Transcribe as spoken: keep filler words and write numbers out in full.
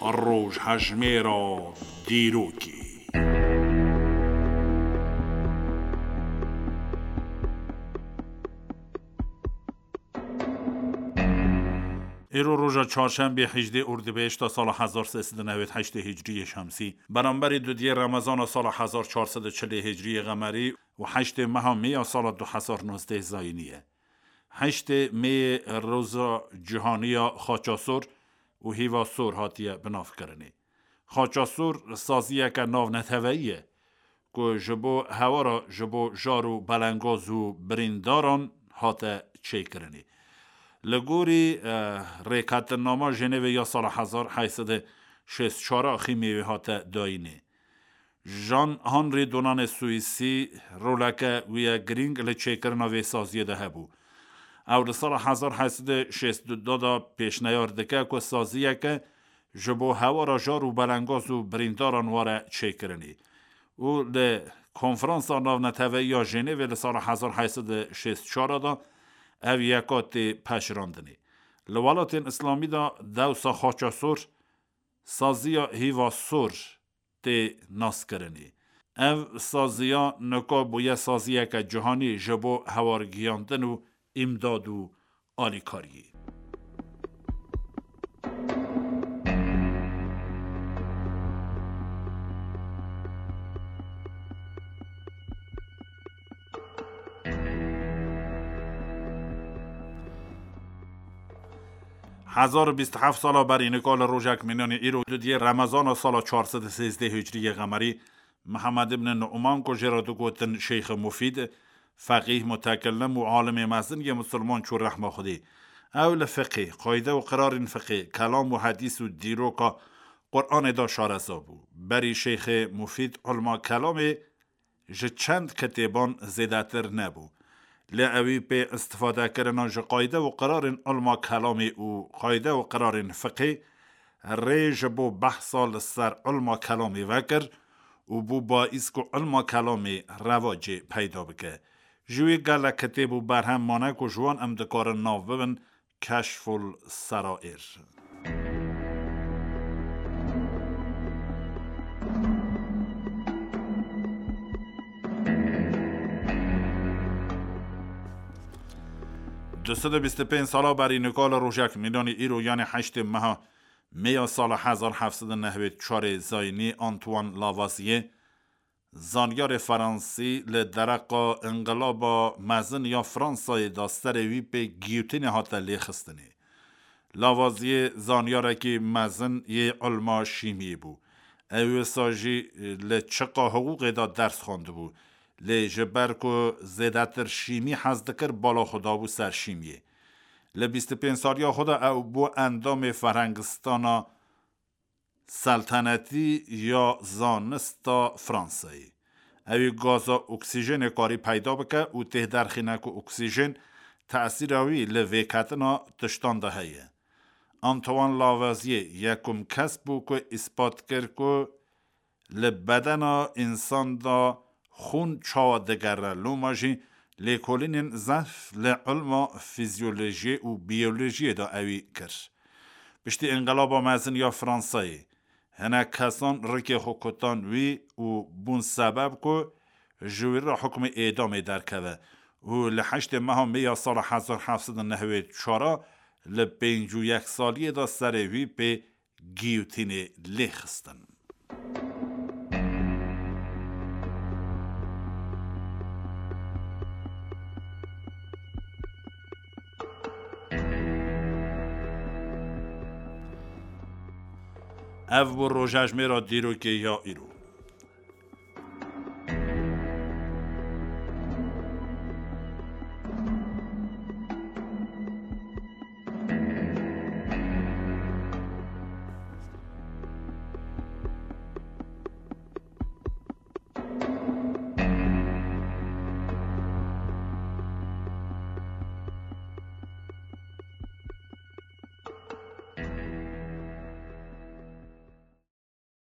Rojhejmêra dîrokê. Îro roja çarşembê hejdê Ordibehişta sala hezar sê sed û newêd heştê Hicriyê Şemsî, beramberî dudiyê Remezana sala hezar çar sed û çilê Hicriyê Qemerî û heştê meha Mêya sala du hezar nozdeh Zayînî ye. Heştê Mêyê roza cîhanî ya xaça sor û hîva sor hatiye binavkirinê. Xaça sor saziyeke navneteweyî ye ku ji bo hewara ji bo jar û belengaz û birîndaran hate çêkirinê. Li gorî, eh, Rêketinnama Jenevê ya sala hezar heyt sed û şêst çar a xîmê wê hate dayînê. Jean Henri Dunanê Swîsî roleke wî ye girîng li çêkirina vê saziyê de hebû. Ew li sala hezar heyt sed û şêst û du de pêşneyar dike ku saziyeke ji bo hewara jar û belengaz û birîndaran were çêkirinê. Û li Konferansa Navneteweyî ya Jenevê li sala hezar heyt sed û şêst çar de ev yeka tê pejirandinê. Li welatên Îslamî de dewsa xaça sor, saziya hîva sor tê naskirinê. Ev saziya nika bûye saziyeke cîhanî ji bo hewargihiyandin û îmdad û alîkariyê. Hezar û bîst û heft sala berî nika li rojek mînanî îro dudiyê Remezana sala çar sed û sêzdeh Hicriyê Qemerî, Mihemed ibn Nu'man ku jê re digotin Şeyxê Mufîd, feqîh, mutekellim û alimê mezin yê misilman çû rehma Xwedê. Ew li fiqê, qayde û qirarên fiqê, kelam û hedîs û dîroka Qur'anê de şareza bû. Berî Şeyxê Mufîd ilma kelamê ji çend kitêban zêdetir nebû. Lê ewî pê istifadekirina ji qayde û qirarên ilma kelamê û qayde û qirarên fiqê rê ji bo behsa li ser ilma kelamê vekir û bû baîs ku ilma kelamê revacê peyda bike. Ji wî gelek kitêb û berhem mane ku ji wan em dikarin nav bibin Keşful Serair. Du sed û bîst û pênc sala berî nika li rojek mînanî îro, yanî heştê meha Mêya sala hezar heft sed û nehwêd çarê Zayînî, Antoine Lavoisier, zanyarê Fransî, li dereqa Înqilaba Mezin ya Fransayê de serê wî pê giyotînê hate lêxistinê. Lavoisier zanyarekî mezin yê ilma şîmiyê bû. Ew wisa jî li çiqa hiqûqê de ders xwendibû. Lê ji ber ku zêdetir şîmî hez dikir, bala xwe dabû ser şîmiyê. Li bîst û pênc saliya xwe de ew bû endamê Ferhengistana Seltenetî ya Zanista Fransayê. Ew ê gaza oksîjenê karî peyda bike û tê derxîne ku oksîjen tesîra wî li vêketina tiştan de heye. Antoine Lavoisier yekum kes bû ku îspat kir ku li bedena însan de xûn çawa digere. Loma jî lêkolînên zehf li ilma fîzyolojiyê û biyolojiyê de ewî kir. Piştî Înqilaba Mezin ya Fransayê, hinek kesan rikê xwe kutan wî û bûn sebeb ku ji wî re hukmê êdamê derkeve û li heştê meha Mê ya sala hezar heft sed û nehwêd çar a li pêncî û yek saliyê de serê wî pê giyotînê lê xistin. Ev bû rojejmêra dîrokê ya îro.